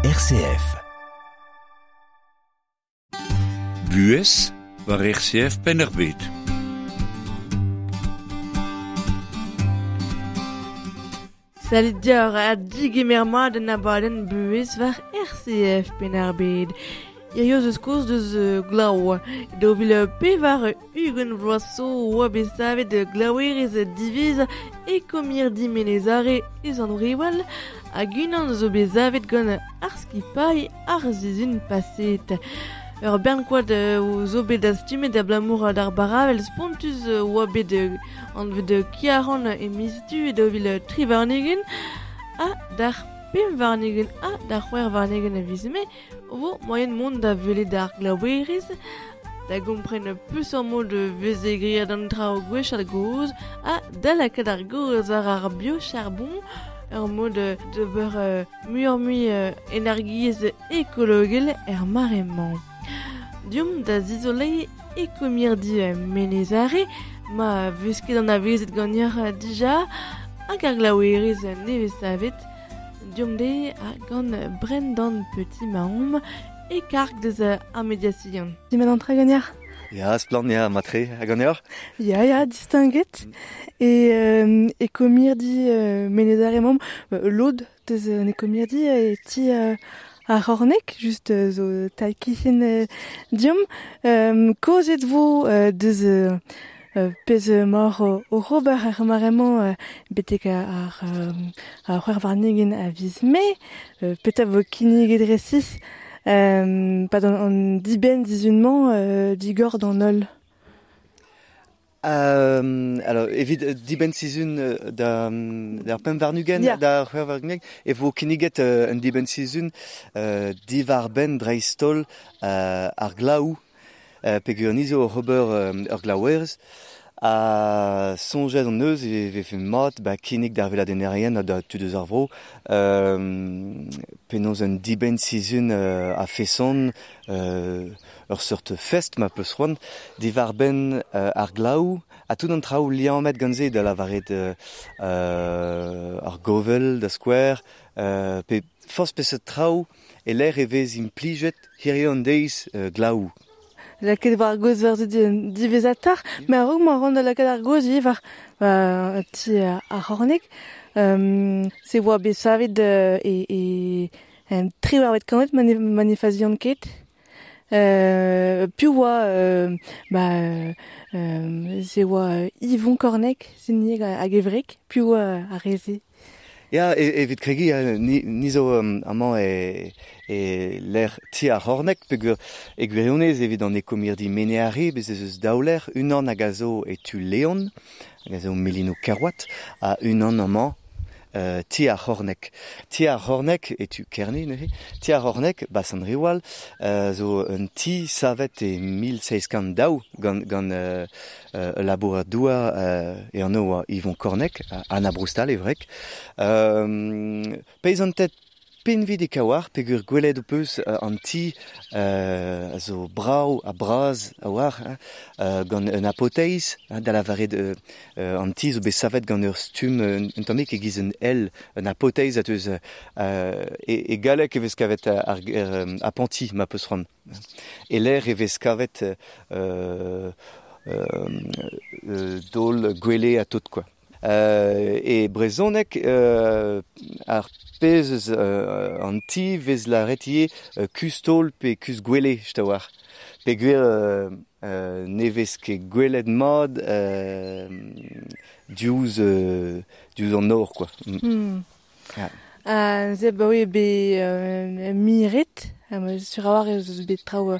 RCF. Buhez war RCF Penn-ar-Bed. Salut deoc'h ha digemer mat en abadenn buhez war RCF Penn-ar-Bed. Hirio 'z eus kaoz deus glav. 2024 vloaz zo oa bet savet glaouerez diwezhañ ekomirdi Menez-Are e Sant-Riwal hag unan zo bet savet gant ar skipailh ar sizhun paset. Ur bern koad zo bet dastumet abalamour d'ar barravel spontus oa bet anvet Kiaran e miz Du e 2023 ha d'ar 25 ha d'ar 26 a viz Mae vo moaien mont da welet ar glaouerez, da gompren peseurt mod veze graet an traoù gwechall-gozh ha da lakaat ar gaoz war ar biocharbon, ur mod d'ober muioc'h-mui energiezh ekologel er mare-mañ. Deomp da zizoleiñ ekomirdi Menez Are, ma vez ket anavezet ganeoc'h dija, hag ar glaouerez nevez savet. Deomp dezhe ha gant Brendan Petit Mahom e karg deus ar mediasion. Dimet an tra ganeoc'h? Ya, splann, ya, matre. Ha ganeoc'h? Ya, ya, distinguet. E euh, ekomirdi euh, Menez-Are emaomp, lod deus an ekomirdi e ti euh, ar C'horneg, just euh, zo tal-kichen euh, deomp. Euh, kaozet vo euh, deus euh, pezh emaoc'h oc'h ober er mare-mañ betek ar ar c'hwec'h warn-ugent a viz Mae. Petra vo kinniget resis pad an dibenn sizhun-mañ digor d'an holl? Alors, evit dibenn-sizhun da d'ar pemp warn-ugent, d'ar c'hwec'h warn-ugent, e vo kinniget un dibenn-sizhun diwar-benn dreist-holl ar glaou Peogwir ni zo oc'h ober ur glaouerez ha soñjet hon eus e vefe mat ba kinnig d'ar weladennerien ha da tud eus ar vro penaos un dibenn-sizhun a-feson, ur seurt fest ma peus c'hoant, diwar-benn ar glaou ha tout an traoù liammet gant se, da lavaret ar govel da skouer, pe forzh peseurt traoù e-lec'h e vez implijet hiziv an deiz glaou. Lakaet war ar gaoz war diwezhatoc'h, met a-raok ma ran da lakaat ar gaoz ivez war ti ar c'horneg, se oa bet savet e e triwec'hvet kantved ma ne fazian ket. Piv oa ba se oa Yvon Korneg, Sinieg hag e wreg, piv oa ar re-se? Ya, evit kregiñ, ni zo amañ e e lec'h ti ar C'horneg peogwir e gwirionez evit an ekomirdi Mene-Are bez' ez eus daou lec'h, unan hag a zo e tu Leon, hag a zo Milinoù Kerwat, ha unan amañ Ti ar C'horneg. Ti ar C'horneg, e tu Kerne neuze, Ti ar C'horneg, ba Sant-Riwal, zo un ti savet e 1702 gant gant ul labourer-douar e anv oa Yvon Korneg, Anna Broustal e wreg. Peizanted pinvidik a-walc'h peogwir gwelet ho peus an ti a zo brav ha bras a-walc'h gant un apoteiz da lavaret an ti zo bet savet gant ur stumm un tammig e-giz un L, un apoteiz a teus e galleg e vez kavet ar ger appentis ma peus c'hoant. E-lec'h e vez kavet daol gwele ha tout quoi. E brezhoneg ar pezh eus an ti vez lâret ivez kuzh-taol pe kuzh-gwele just a-walc'h. Peogwir ne vez ket gwelet mat diouzh diouzh an nor quoi. Ya. Se abaoe bet miret, sur a-walc'h ez eus bet traoù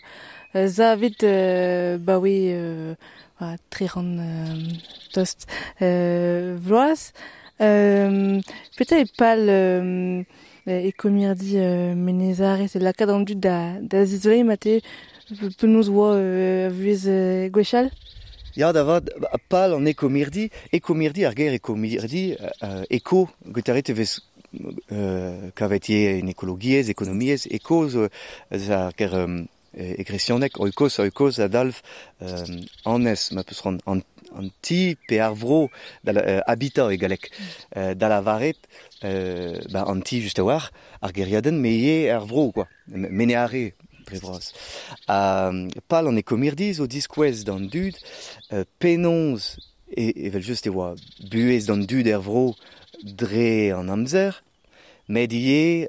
savet abaoe 300 tost vloaz. Petra eo pal ekomirdi Menez-Are? C'est lakaat an dud da zizoleiñ marteze penaos oa vuhez gwechall? Ya da vat, pal an ekomirdi, ekomirdi, ar ger ekomirdi, eko, gwitaret e vez kavet ivez en ekologiezh, ekonomiezh, eko zo eus ar ger e gresianeg oikos, oikos a dalv annez, ma peus c'hoant, an, an ti pe ar vro da habitat e galleg da lavaret ba an ti just a-walc'h ar gêriadenn me eo ar vro quoi Menez Are dre vras. Pal an ekomirdi zo diskouez d'an dud penaos evel just e oa buhez d'an dud er vro dre an amzer, met ivez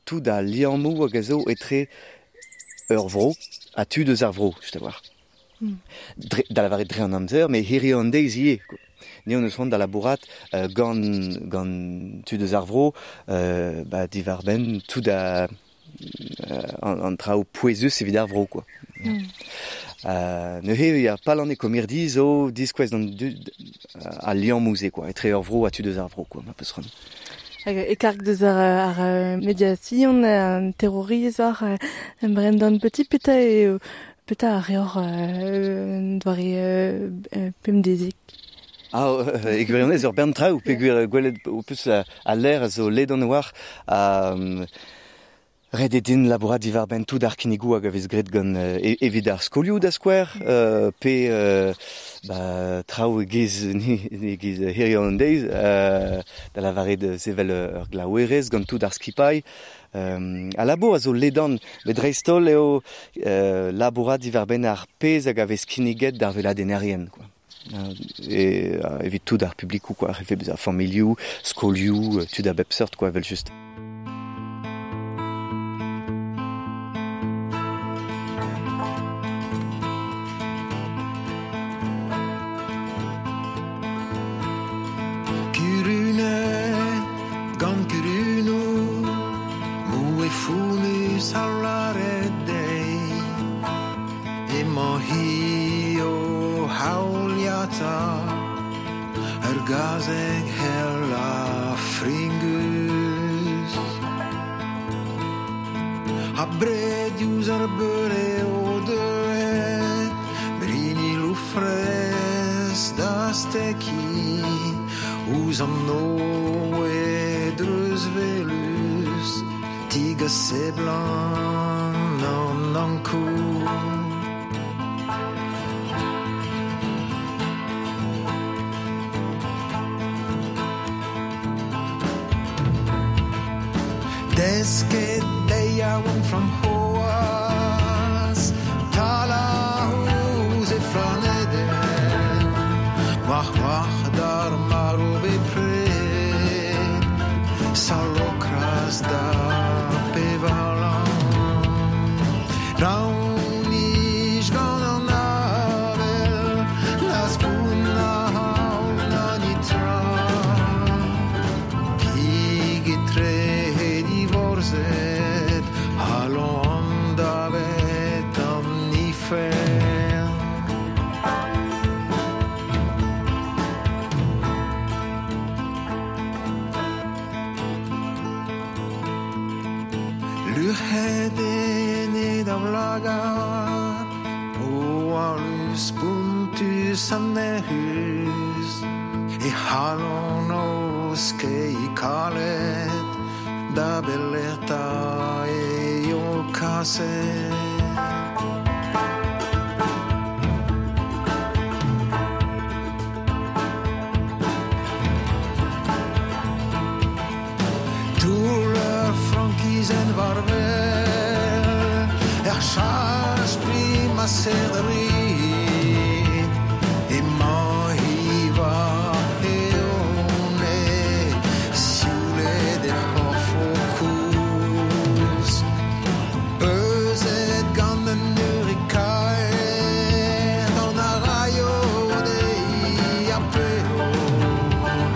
tout al liammoù hag a zo etre ur vro ha tud eus ar vro, just a-walc'h. Da lavaret dre an amzer, met hiriv an deiz ivez. Ni hon eus c'hoant da labourat gant tud eus ar vro ba diwar-benn tout an traoù pouezus evit ar vro, quoi. Neuze ar pal an ekomirdi zo diskouez d'an dud al liammoù-se, quoi, etre ur vro ha tud eus ar vro, quoi, ma peus c'hoant. Hag e karg deus ar mediasion, an terrorizh war Brendan Petit, petra eo petra a reor doare pemdeziek? Ah, e gwirionez ur bern traoù, peogwir gwelet ho peus al lec'h a zo ledan a-walc'h. Ret eo din labourat diwar-benn tout ar kinnigoù hag a vez graet gant evit ar skolioù da skouer, pe ba, traoù e-giz e-giz hiriv an deiz, da lavaret sevel ur glaouerez gant tout ar skipailh. Al labour a zo ledan, met dreist-holl eo labourat diwar-benn ar pezh hag a vez kinniget d'ar weladennerien, quoi. E, evit tout ar publikoù, quoi, ar bezañ familhoù, skolioù, tud a bep seurt, quoi, evel-just. Kurune, gant kurunoù, moue founnus a lâret dezhi. Emañ-hi o haoliata, ur gazeg hell ha fringus. Abred diouzh ar beure o deuet, brini loufrez da stekiñ ouzh an noe dreuzvelus, tigas seblant an Ankou. Desket dezhi a oant from c'hoazh, talañ ouzh he flanedenn, war d'ar marv bepred, salokras da pevalan. Raonij gant an avel, na spoun na haol na nitra. Kig etre he divorzhed, halon an davet an ifern. Luc'hed ene daoulagad, oalus spontus ha nec'hus, e c'halon o skeiñ kalet, da belec'h 'ta eo kaset. Toull ur frankizenn war-wel, er chas prim a serdri, emañ-hi war he one, sioulet e c'horf o kousk. Beuzet gant un eurig kaer, dont a raio dezhi ar peoc'h,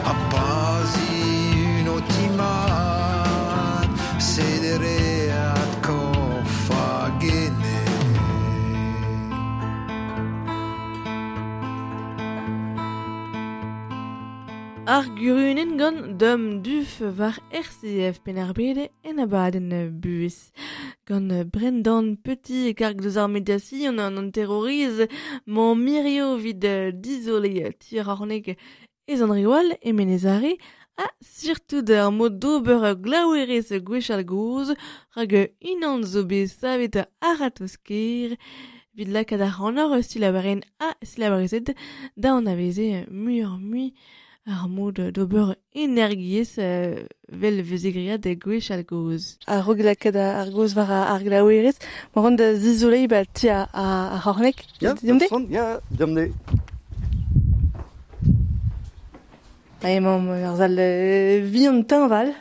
ha pa zihuno timat, sedereat korf hag ene. Ar gurunenn gant Dom Duff war RCF Penn-ar-Bed en abadenn buhez. Gant Brendan Petit e karg deus ar mediasion an terrorizh mañ mirio evit dizoleiñ ti ar c'horneg ez an riwal e Menez Are ha surtout ar mod d'ober glaouerez gwechall gozh rak unan zo bet savet a-ratozh-kaer. Vid lakaat ar c'hanoc'h selaouerien ha selaouerezed da anaveze muioc'h-mui ar mod d'ober energiezh vel veze graet gwechall gozh. A-raok lakaat ar goz war ar glaouerez, ma ran da zizoleiñ ba ti ar c'horneg. Ya, ya, deomp-de. Emañ ur sal vihan teñval.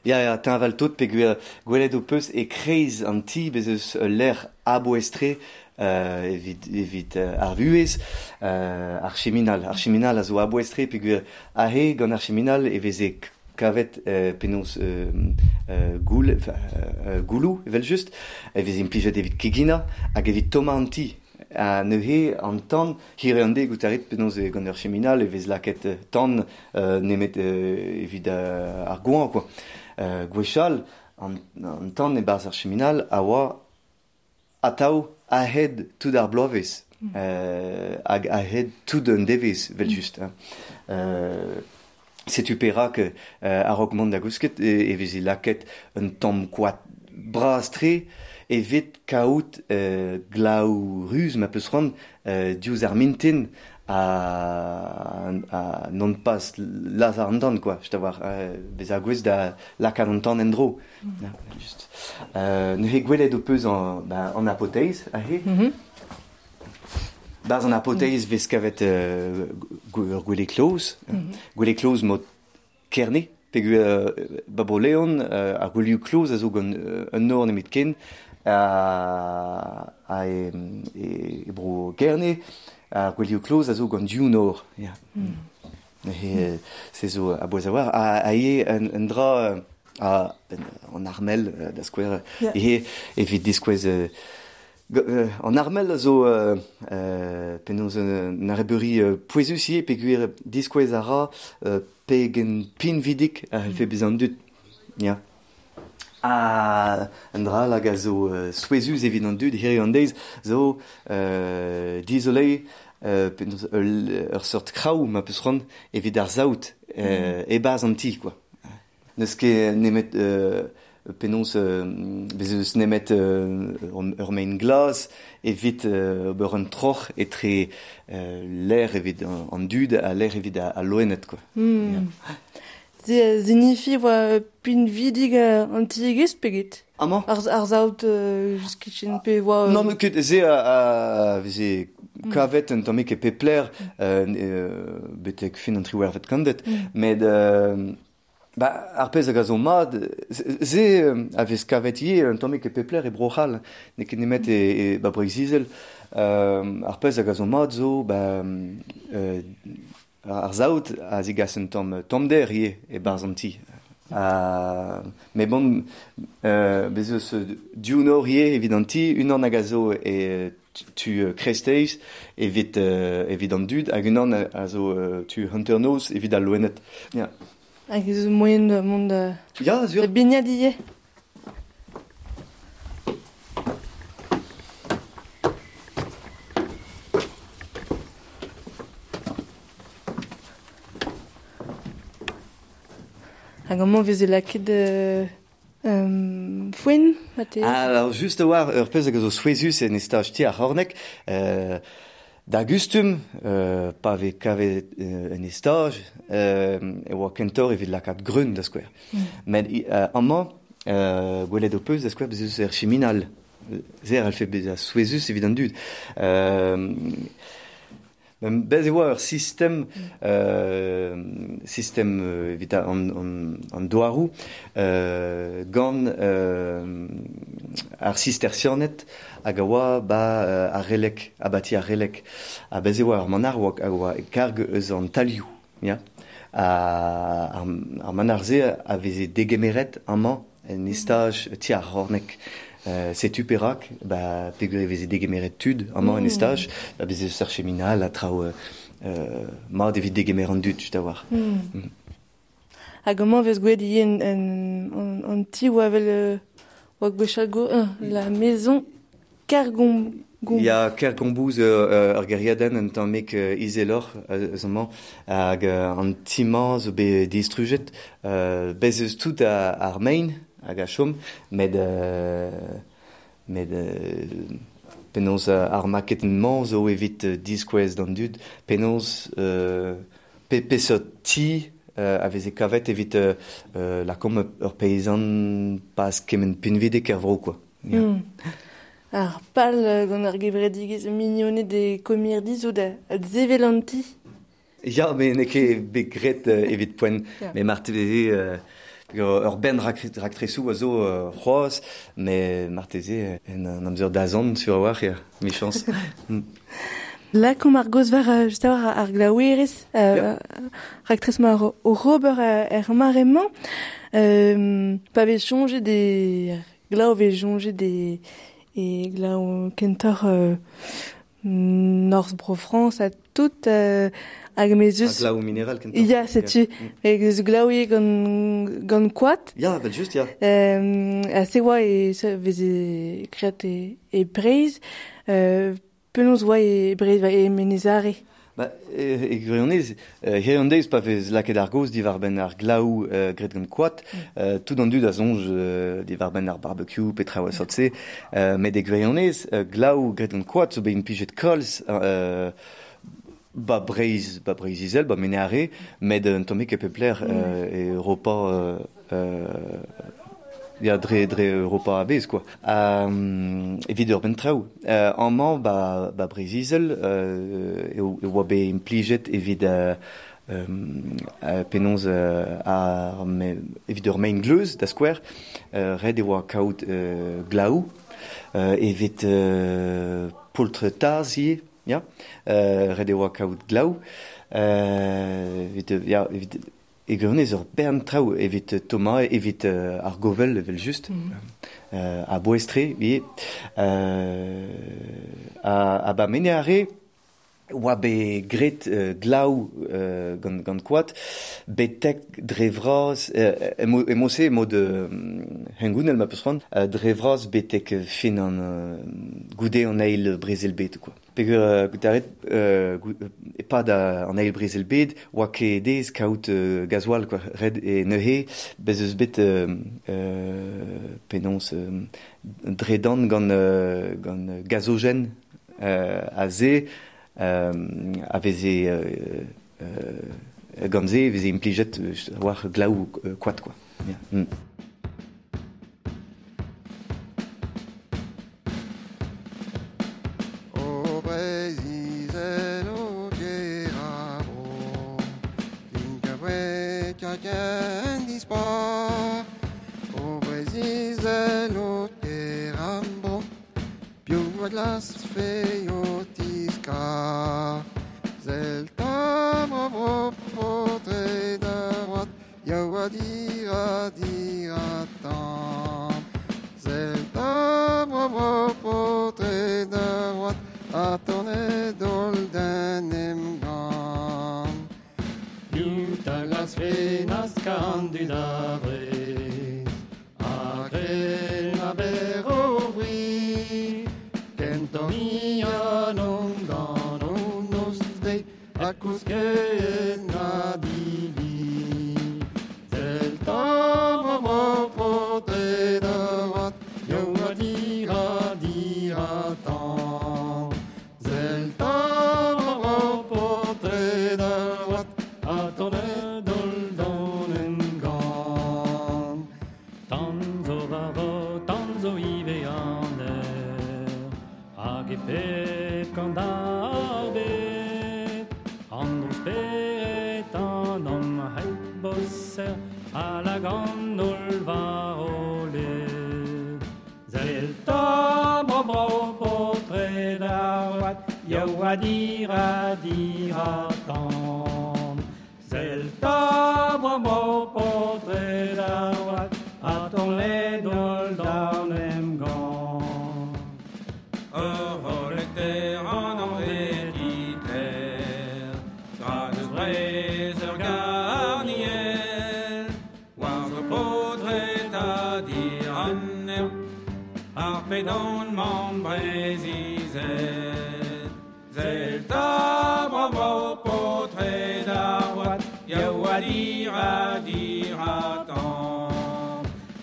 Ya, ya, teñval tout, peogwir gwelet ho peus e-kreiz an ti bez eus ul lec'h a-bouez-tre evit ar vuhez, ar chiminal. Ar chiminal a zo a-bouez-tre peogwir aze gant ar chiminal e veze kavet penaos gouloù evel-just, e veze implijet evit keginañ hag evit tommañ an ti. Ha neuze an tan, hir an deiz goût a rit penaos gant ur chiminal e vez lakaet tan nemet evit ar goañv quoi. Gwechall an tan e-barzh ar chiminal a oa atav a-hed tout ar bloavezh hag a-hed tout un devezh evel-just. Setu perak a-raok mont da gousket e veze lakaet un tamm koad bras-tre evit kaout glav ruz ma peus c'hoant diouzh ar mintin ha non pas lazhañ an tan quoi, just a-walc'h bezañ gouest da lakaat an tan en-dro. Just. Neuze gwelet ho peus an apoteiz aze. Barzh an apoteiz vez kavet ur gwele kloz, gwele kloz mod Kerne, peogwir ba Bro-Leon ar gwelioù kloz a zo gant un nor nemetken ha e Bro Gerne ar gwelioù kloz a zo gant div nor. Ya. Neuze se zo a-bouez a-walc'h. Ha ivez un dra an armel da skouer ivez evit diskouez an armel a zo penaos un arrebeuri pouezus ivez peogwir diskouez a ra pegen pinvidik a c'hellfe bezañ an dud. Ya. Ha un dra hag a zo souezhus evit an dud hiziv an deiz zo dizoleiñ penaos ur seurt kraou ma peus c'hoant evit ar saout e-barzh an ti quoi. N'eus ket nemet penaos bez eus nemet ur maen glas evit ober un troc'h etre l'aer evit an dud ha l'aer evit al loened quoi. Se zinifi oa pinvidik an tiegezh pe get? Amañ? Ar saout just kitchen pe oa... Non, ket se a veze kavet un tammig e pep lec'h betek fin an triwec'hvet kantved, met ba, ar pezh hag a zo mat, se a vez kavet ivez un tammig e pep lec'h e Bro-C'hall, n'eo ket nemet e ba Breizh-Izel. Ar pezh hag a zo mat zo, ba, ar saout a zegas un tamm tommder ivez e-barzh an ti. Mais bon, bez eus div nor ivez evit an ti, unan hag a zo e tu kreisteiz evit an dud hag unan a zo tu hanternoz evit al loened. Ya. Hag ez eus moaien da mont da Ya, sur. Da bignat ivez. Hag amañ veze lakaet foenn, marteze. Alors just a-walc'h ur pezh hag a zo souezhus en estaj ti ar c'horneg, da gustum, pa vez kavet un estaj, e oa kentoc'h evit lakaat greun da skouer. Met amañ, gwelet ho peus da skouer bez eus ur chiminal. Se a c'hallfe bezañ souezhus evit an dud. Bez e oa ur sistem sistem evit an douaroù gant ar sistersianed hag a oa ba ar Releg, abati ar Releg. Ha bez e oa ur manac'h hag a oa e karg eus an talioù. Ya. Ar manac'h-se a veze degemeret amañ en estaj ti ar C'horneg. Setu perak, ba, peogwir e veze degemeret tud amañ en estaj, ba, bez eus ur cheminal ha traoù mat evit degemer an dud, just a-walc'h. Hag amañ vez gwelet ivez an ti oa evel oa gwechall la maison Kergom. Ya, Kergombouz ur gêriadenn un tammig izeloc'h eus amañ hag an ti-mañ zo bet distrujet. Bez eus tout ar mein hag a chom, met Penaos ar maketenn-mañ zo evit diskouez d'an dud, penaos peseurt ti a veze kavet evit lakaomp ur peizant pas kement pinvidik er vro, quoi. Ya. Ar pal gant ar gevredigezh mignoned ekomirdi zo da sevel an ti. Ya, met n'eo ket bet graet evit poent. Ya. Mais marteze ur bern raktresoù a zo c'hoazh, met marteze en an amzer dazont sur a-walc'h, ya, michañs. Lakaomp ar gaoz war just a-walc'h ar glaouerez, Ya. raktres ma o ober er mare-mañ. Pa vez soñjet e glaou vez soñjet e glaou kentoc'h Norzh Bro-Frañs ha tout hag mez eus... Ar glaou mineral kentoc'h. Ya, setu. Hag eus glaouier gant koad. Ya, vel just, ya. Ha se oa e veze graet e Breizh. Penaos oa e Breizh e Menez-Are? Ba, e gwirionez, hiziv an deiz pa vez lakaet ar gaoz diwar-benn ar glaou graet gant koad, tout an dud a soñj diwar-benn ar barbecue pe traoù a sort-se, met e gwirionez, glaou graet gant koad zo bet implijet kalz ba Breizh, ba Breizh-Izel, ba Menez-Are, met un tammig e pep lec'h e Europa ya, dre Europa a-bezh, quoi. Evit ur benn traoù. Amañ, ba Breizh-Izel, e oa bet implijet evit penaos evit ur maen-gleuz, da skouer, ret e oa kaout glaou, evit poltr tarzh ivez, ya, ret e oa kaout glaou, evit, ya, evit e gwirionez ur bern traoù evit tommañ, evit ar govel evel just, a bouez-tre ivez. Ha ba Menez-Are oa bet graet glaou gant koad, betek dre vras, emo-se mod hengounel ma peus c'hoant, dre vras betek fin an goude an eil brezel bed, quoi. Peogwir goût e-pad an eil brezel bed oa ket aes kaout gasoil, quoi. Ret e neuze bez eus bet penaos dredan gant gazogen a se a veze gant se e veze implijet war glaou koad, quoi. Ya.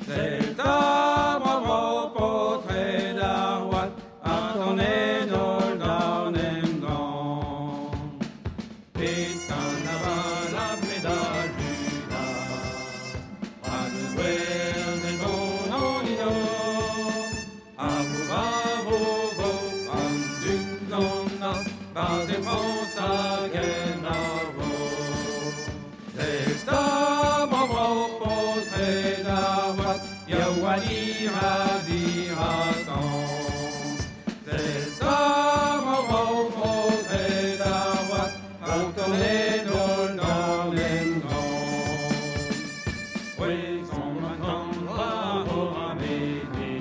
Zelta, bravo, potre d'ar oad, a ton c'hoat, yaou a dira diratan. Zelta bravo paotred ar c'hoat, o tonet holl d'an emgann. C'hwezomp an tan bravo a mene,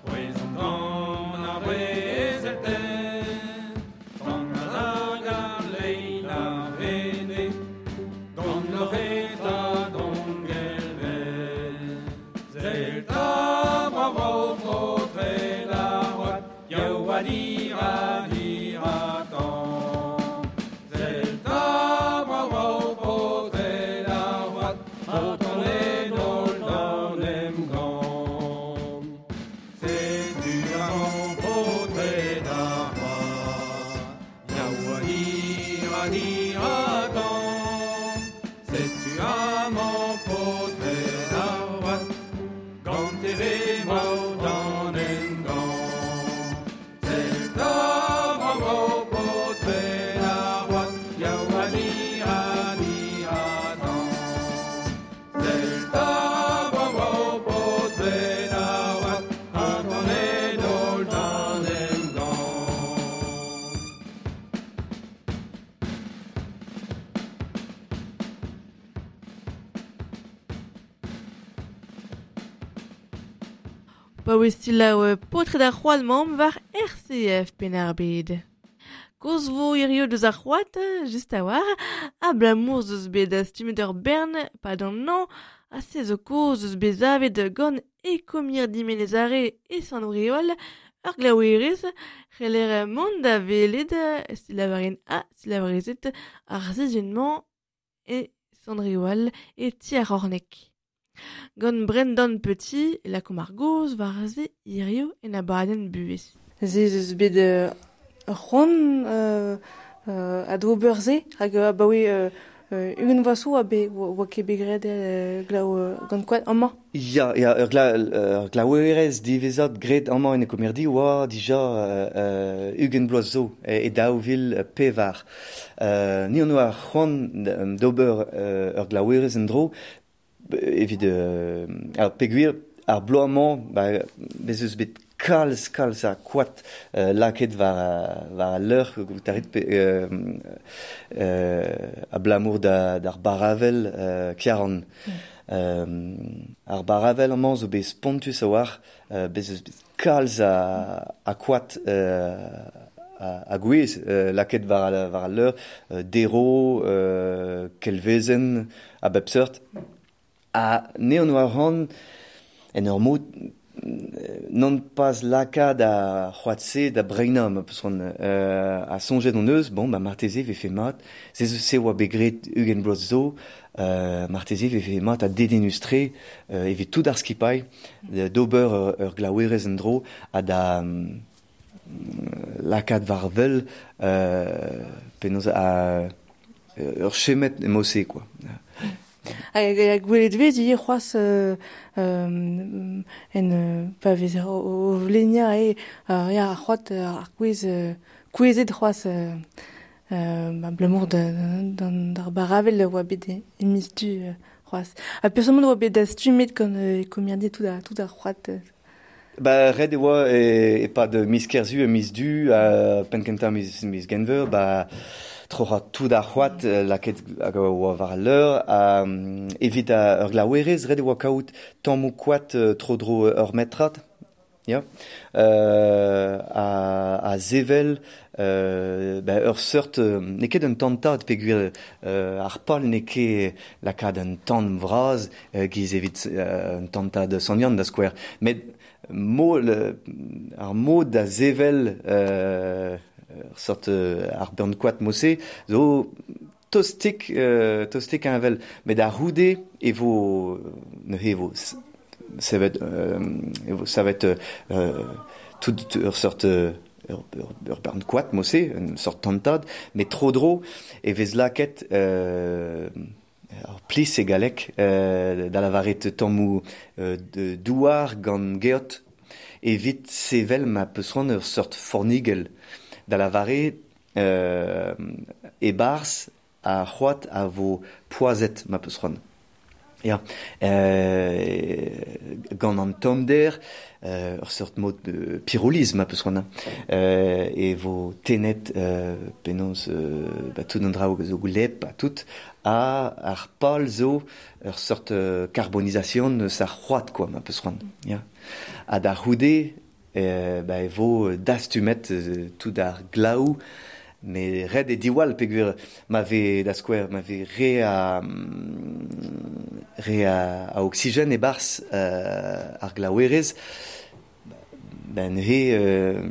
c'hwezomp tan ar brezel tenn, tan hag ar lein a vene, gant loc'het ha d'hon gelven. Zelta bravo paotred ar c'hoat, yaou a dira diratan. Zelta bravo paotred ar c'hoat, o tonet holl d'an emgann. Setu amañ paotred ar c'hoat, yaou a dira diratan. Setu amañ paotred ar c'hoat, gante ve brao d'an emgann. Zelta bravo paotred ar c'hoat, yaou a dira diratan. Zelta bravo paotred ar c'hoat, o tonet holl d'an emgann. Pa oe stilaou paotred ar c'hoad mamm war RCF Penn-ar-Bed. Koz vo hirio deus ar c'hoad, just a-war, abalamour zeus bet stummet ur bern, pa d'an an, ha se zo koz eus bet savet gant ekomirdi Menez-Are e Sant-Riwal, ur glaouerez, c'heller mont da welet stilavarin ha stilavarezet ar sizhun-mañ e Sant-Riwal e ti ar C'horneg. Gant Brendan Petit, lakaomp ar goz war se hirio en abadenn buhez. Se eus bet ur c'hoant a d'ober se, hag abaoe ugent vloaz zo a be oa ket bet graet glaou gant koad amañ. Ya, ya, ur glaouerez diwezhat graet amañ en ekomirdi oa dija 20 bloaz zo, e 2004. Ni hon oa c'hoant d'ober ur glaouerez en-dro, evit ar peogwir ar bloaz-mañ, ba, bez eus bet kalz a koad lakaet war al leur, goût a rit abalamour d'ar baravel Kiaran. Ar baravel amañ zo bet spontus a-walc'h, bez eus bet kalz a koad a gwez lakaet war al leur, dero, kelvezenn, a bep seurt. Ha ne hon oa c'hoant en ur mod non pas lakaat ar c'hoad-se da breinañ, ma peus c'hoant a soñjet hon eus, bon, ba marteze vefe mat, se oa bet graet 20 bloaz zo, marteze vefe mat ha dedennus-tre evit tout ar skipailh d'ober ur glaouerez en-dro ha da lakaat war wel penaos ur chemet emo-se, quoi. Hag gwelet vez ivez c'hoazh en pa vez o vleniañ eo ya ar c'hoad ar gwez kouezhet c'hoazh abalamour d'ar baravel oa bet e miz du c'hoazh. Ha peseurt oa bet dastumet gant ekomirdi tout ar c'hoad. Ba ret e oa e-pad miz Kerzu ha miz Du ha penn-kentañ miz Genver, ba troc'hañ tout ar c'hoad lakaet hag oa war al leur, evit ur glaouerez, ret e oa kaout tammoù koad tro-dro ur metrad, ya, a sevel ba ur seurt, n'eo ket un tantad peogwir ar pal n'eo ket lakaat un tan vras giz evit un tantad Sant-Yann da skouer, met ar mod da sevel ur seurt ar bern koad mod-se zo tostik heñvel, met ar c'houde e vo neuze e vo savet tout ur seurt ur bern koad mod-se, un seurt tantad, met tro-dro e vez lakaet ar plis e galleg da lavaret tammoù douar gant geot evit sevel ma peus c'hoant ur seurt fornigell da lavaret e-barzh ar c'hoad a vo poazhet ma peus c'hoant. Ya, gant an tommder, ur seurt mod pyrolyse ma peus c'hoant, e vo tennet penaos ba tout an draoù zo gleb ha tout, ha ar pal zo ur seurt carbonisation eus ar c'hoad quoi ma peus c'hoant. Ya. Ha da c'houde ba e vo dastumet tout ar glaou, met ret eo diwall peogwir ma vez da skouer ma vez re a re a oksigen e-barzh ar glaouerez, ben neuze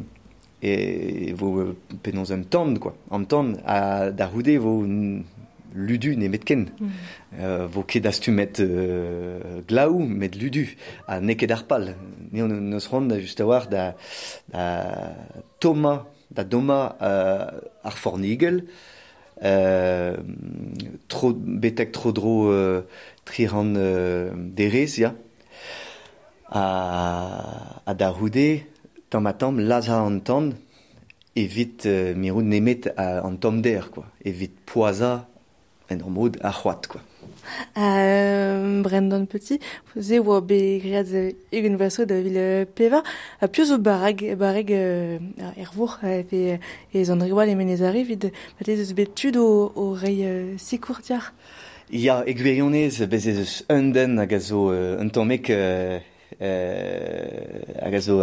e vo penaos un tan quoi, an tan ha da c'houde e vo ludu nemetken. Vo ket dastumet glaou met ludu ha n'eo ket ar pal. Ni hon eus c'hoant just a-walc'h da tommañ da dommañ ar fornigell, tro, betek tro-dro 300 derez, ya. Ha da c'houde, tamm-ha-tamm, lazhañ an tan evit mirout nemet an tommder, quoi. Evit poazhañ en ur mod ar c'hoad, quoi. Brendan Petit, se oa bet graet ugent vloaz zo da vil pevar, ha piv zo barrek, barrek er vourc'h pe e Sant-Riwal e Menez-Are evit ma eus bet tud o reiñ sikour diàr? Ya, e gwirionez, bez ez eus un den hag a zo un tammig hag a zo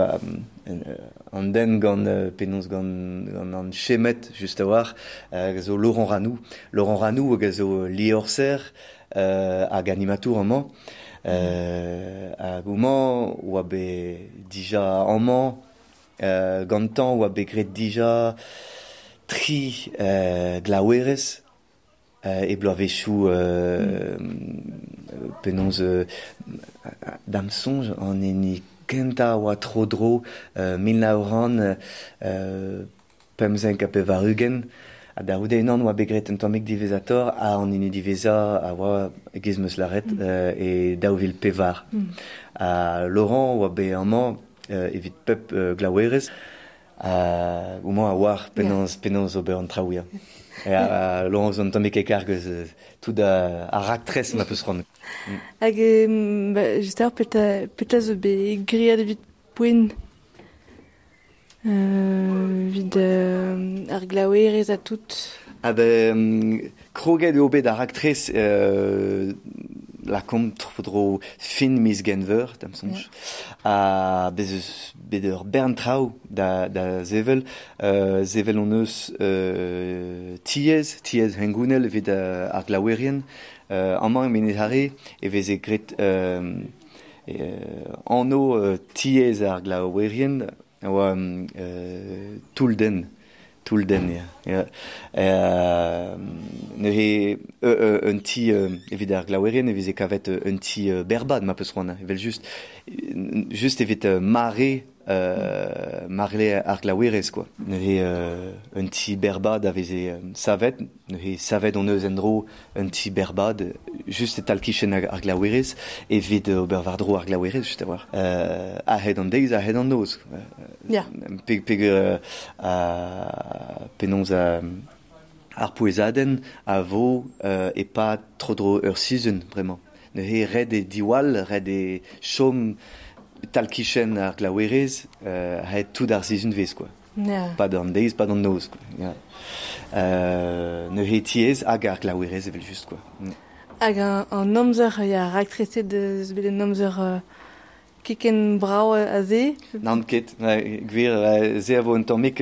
an den gant penaos gant an chemet just a-walc'h, hag a zo Laurent Ranou. Laurent Ranou hag a zo liorzher hag animatour amañ. Hag homañ oa bet dija amañ, gantañ oa bet graet dija tri glaouerez e bloavezhioù penaos da'm soñj an hini kentañ oa tro-dro 1995, ha da c'houde unan oa bet graet un tammig diwezhatoc'h, ha an hini diwezhañ a oa e-giz 'm eus lâret e 2004. Ha Laurent oa bet amañ evit pep glaouerez, ha homañ a oar penaos ober an traoù, ya. Ha Laurent zo un tammig e karg eus tout ar raktres ma peus c'hoant. Hag just eur petra zo bet graet evit poent evit ar glaouerez ha tout? Ah ben, kroget eo bet ar raktres lakaomp tro-dro fin miz Genver, da'm soñj. Ha bez eus bet ur bern traoù da sevel. Sevel hon eus tiez hengounel evit ar glaouerien. Amañ e Menez-Are e veze graet anv tiez ar glaouerien a oa Toull-Den. Toull-Den, ya. Neuze un ti evit ar glaouerien e veze kavet un ti berrbad ma peus c'hoant, evel-just. Just evit mare mare ar glaouerez, quoi. Neuze un ti berrbad a veze savet, neuze savet hon eus en-dro un ti berrbad just e-tal kichen ar glaouerez evit ober war-dro ar glaouerez, just a-walc'h. A-hed an deiz, a-hed an noz. Ya. Peogwir penaos ar pouezadenn a vo e-pad tro-dro ur sizhun bremañ. Neuze ret eo diwall, ret eo chom tal-kichen ar glaouerez a-hed tout ar sizhunvezh, quoi. Ya. Pad an deiz, pad an noz, quoi. Ya. Neuze tiez hag ar glaouerez evel-just, quoi. Hag an amzer, ya, raktreset eus bet an amzer ket ken brav aze? Nann ket, gwir, se a vo un tammig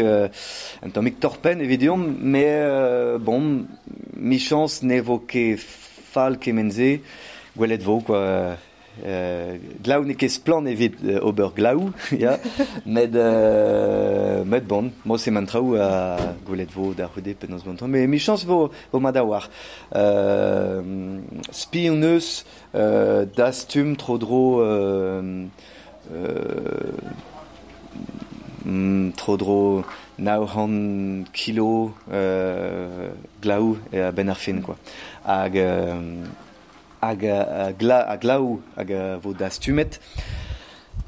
torr-penn evidomp, met bon, michañs ne vo ket fall kement-se, gwelet vo, quoi. Glav n'eo ket splann evit ober glav, ya, met bon, mod-se emañ an traoù ha gwelet vo da c'houde penaos vo an traoù, met emichañs vo mat a-walc'h. Spi hon eus dastum tro-dro tro-dro 900 kilo glav a-benn ar fin, quoi. Hag hag a glav hag a vo dastumet,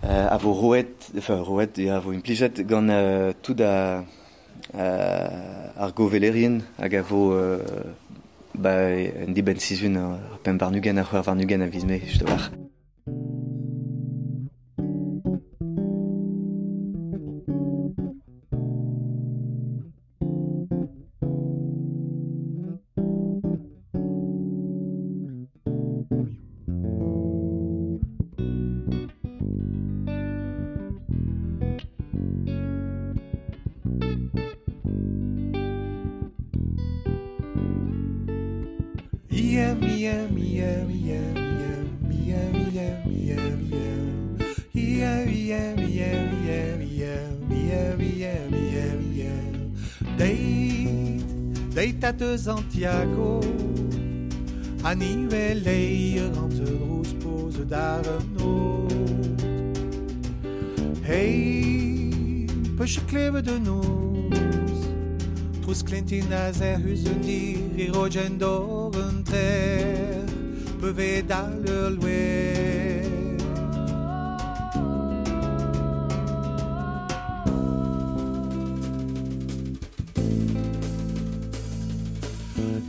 a vo roet, enfin roet, a vo implijet gant tout ar govelerien hag a vo ba en dibenn-sizhun ar 25 ar 26 a viz Mae, just a-walc'h. yeah, yeah, yeah, yeah, yeah, yeah. Yeah, yeah, yeah, yeah, yeah, yeah, yeah, yeah, yeah. Deit, deit a de Santiago, Ani leier an de roos daar een nood. Hey, pusje kleve de noos, Trous klintin a zer huzen dir, i rogen doren ter, beve dalle loe.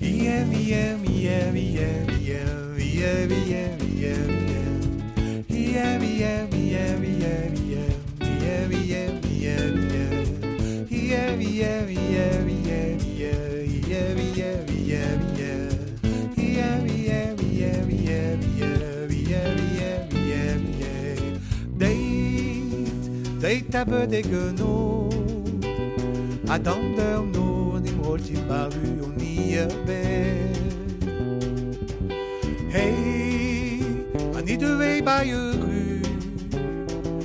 Yeah, yeah, yeah, yeah, yeah, yeah, yeah, yeah, yeah. Yeah, yeah, yeah, yeah, yeah, yeah, yeah, yeah, yeah. Yeah, yeah, yeah, yeah, yeah, yeah, yeah, yeah, yeah. Yeah, yeah, yeah, yeah, yeah, yeah, yeah, yeah, yeah. Deit, deit a be de geno, a dander no, nim rolti baru on be. Hey, ani de wei ba ru,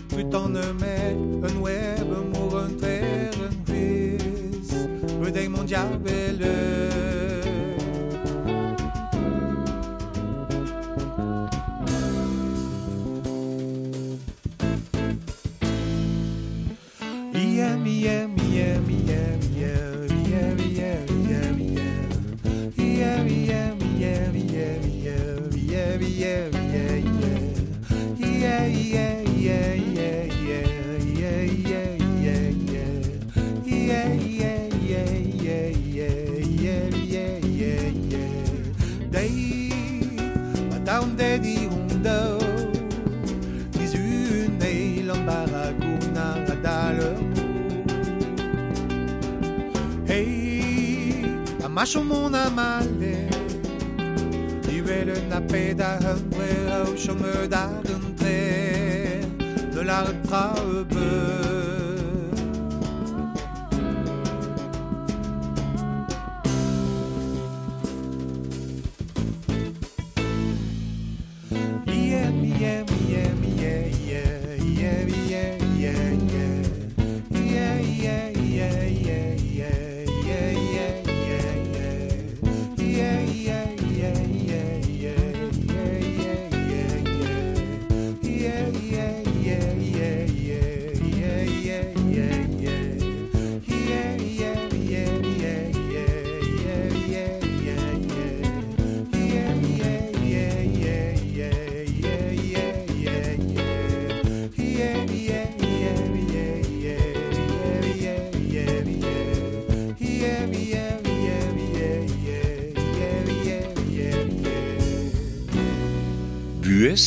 Putain ne met un web mour un ter un vis, bedei mon diabele. Yeah, yeah, yeah, yeah, yeah, yeah, yeah, yeah, yeah. Yeah, yeah, yeah, yeah, yeah, yeah, yeah, yeah, yeah. Yeah, yeah, yeah, yeah, yeah, yeah, yeah, yeah, yeah. Yeah, yeah, yeah, yeah, yeah, yeah, yeah, yeah, yeah. Dei, ma down dedi hundo, Dizun eilan baraguna adale. Hey, a macho mon amale, Iwele na peda humbre au chome d'arrentre, de la retraube. Yeah, yeah, yeah, yeah, yeah, yeah, yeah, yeah, yeah. Yeah, yeah, yeah, yeah, yeah, yeah, yeah, yeah, yeah. Yeah, yeah, yeah, yeah, yeah, yeah, yeah, yeah, yeah. Yeah, yeah, yeah, yeah, yeah, yeah, yeah, yeah, yeah. Yeah, yeah, yeah, yeah, yeah, yeah, yeah, yeah, yeah. Yeah, yeah, yeah, yeah, yeah, yeah, yeah, yeah, yeah. Yeah, yeah, yeah, yeah, yeah, yeah, yeah, yeah. Yeah, yeah, yeah, yeah, yeah, yeah, yeah, yeah, yeah. Buez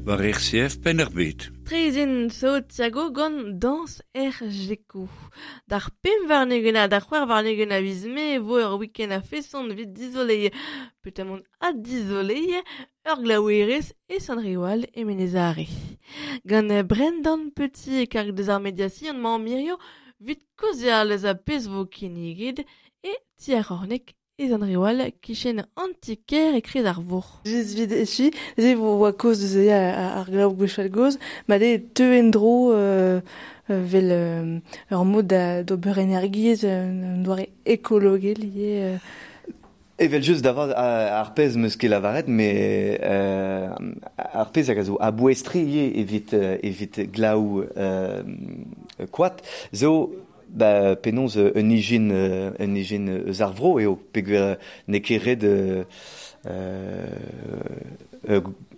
war RCF Pennerbet. Trezen zo Tiago gant dans er jeko. D'ar pem varnegen a d'ar c'hwar varnegen a viz me vo ur week-end a feson vit dizolei. Petamont a dizolei ur glaouerez e San-Riwal e Menezare. Gant Brendan Petit e karg deus ar mediasi an mañ mirio vit kozial eus a pezh vo kinniget e ti ar ornek e San-Riwal kichen antiker e krez ar vor. Jez vid echi, ze vo oa koz deus ea ar glaou gwechall goz, ma de teu en-dro vel ur mod da d'ober energiezh un doare ekologel ivez. Evel just d'avoir ar pezh meus ket lavaret, me ar pezh hag a zo abouestri ivez evit glaou koad, zo ba penaos un ijin eus ar vro eo peogwir n'eo ket ret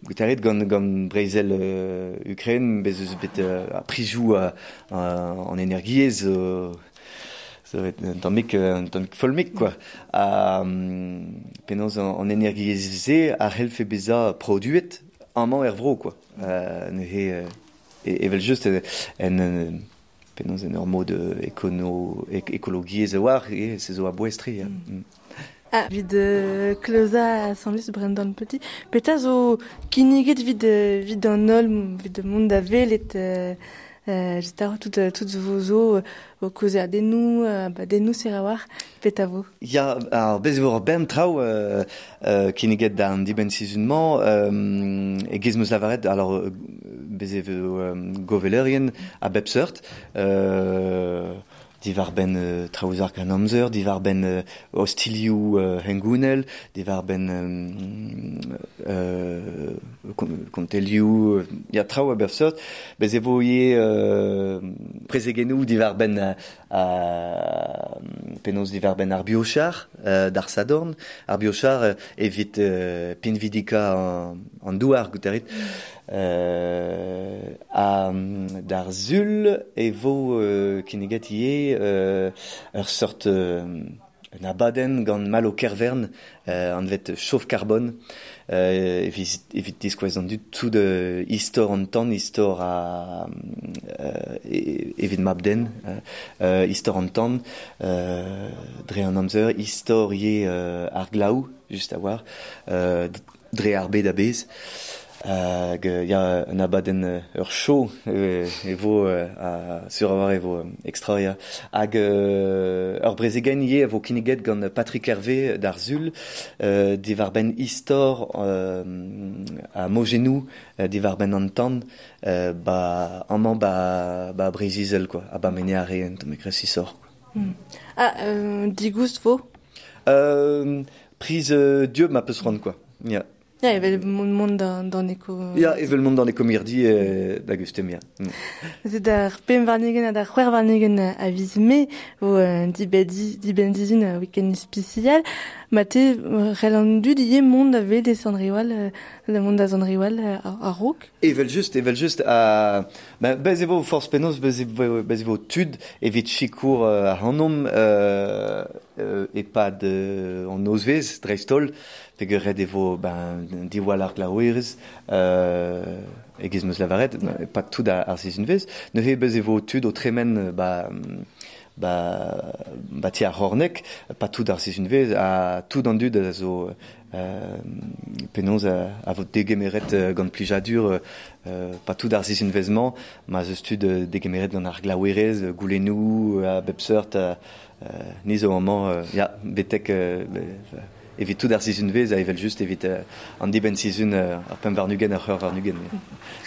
getaret gant Brezel Ukraine, bez eus bet a prizioù an energiezh zo un tammig folmik quoi. Ha penaos an energiezh-se a c'hellfe bezañ produet amañ er vro quoi. Neuze evel just en penaos en ur mod ekologiezh a war e se zo abouestri. Ah, vid kleuza a San-Lus Brendan Petit, petra zo kinniget vid an holl, vid mont da welet Just ar tout vo zo o kaozeadennoù, abadennoù sur a-walc'h, petra vo? Ya, ar bez e vo ur bern traoù kinniget d'an dibenn-sizhun-mañ, e-giz 'm eus lavaret, alors bez e vo govelerien a bep seurt, diwar-benn traoù ar Grennamzer, diwar-benn ostilhoù hengounel, diwar-benn kontelioù, ya, traoù a bep seurt. Bez e vo ivez prezegennoù diwar-benn penaos diwar-benn ar biochar d'ar Sadorn. Ar biochar evit pinvidikañ an douar, goût a rit. Ha d'ar Sul e vo kinniget ivez ur seurt un abadenn gant Malo Kervern anvet Chauffe Carbone evit diskouez an dud tout istor an tan, istor a evit mab-den, istor an tan dre an amzer, istor ivez ar glaou, just a-walc'h, dre ar bed a-bezh. Hag ya, un abadenn ur show e vo ha sur a-walc'h e vo extra ya. Hag ur brezegenn ivez a vo kinniget gant Patrick Hervé d'ar Sul diwar-benn istor ha mojennoù diwar-benn an tan ba amañ ba Breizh-Izel quoi, ha ba Menez-Are un tammig resisoc'h quoi. Ah, digoust vo? Priz dieub ma peus c'hoant quoi. Ya. Ya, evel mont d'an eko... Ya, evel mont d'an ekomirdi da gustum, ya. C'est d'ar pemp warn-ugent ha d'ar c'hwec'h warn-ugent a viz Mae vo dibenn-sizhun week-end ispisial. Ma te c'hell an dud ivez mont da welet e Sant-Riwal, da mont da Sant-Riwal a-raok? Evel-just, evel-just. Ben, bez e vo forzh penaos, bez e vo tud evit sikour ac'hanomp e-pad an nozvezh, dreist-holl. Peger ret e vo ben, diwall ar glaouerez, e-giz 'm eus lavaret, e-pad tout ar sizhunvezh. Neuze bez e vo tud o tremen ba, ba, ba ti ar C'horneg, pas tout ar sizhunvezh, ha tout an dud a zo penaos a vo degemeret gant plijadur, pas tout ar sizhunvezh-mañ, ma 'z eus tud degemeret gant ar glaouerez, goulennoù a bep seurt, ni zo amañ, ya, betek evit tout ar sizhunvezh ha evel-just evit an dibenn-sizhun ar pemp warn-ugent, ar c'hwec'h warn-ugent.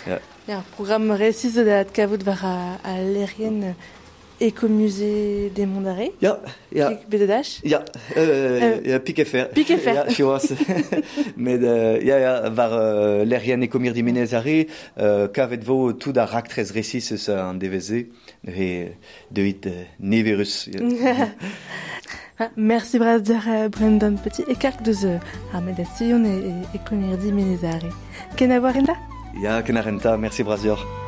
Ya. Ya, ar programm resis zo da adkavout war al lec'hienn Écomusée des Monts d'Arrée. Ya, ya. BZH. Ya, ya, Pic FR. Pic FR. Ya, siwazh. Met ya, ya, war lec'hienn Ekomirdi Menez Are, kavet vo tout ar raktres resis eus an devezh-se. Neuze deuit niverus. Merci bras deoc'h Brendan Petit e karg deus ar mediasion e Ekomirdi Menez Are. Kenavo renta? Ya, kenavo renta, merci bras deoc'h.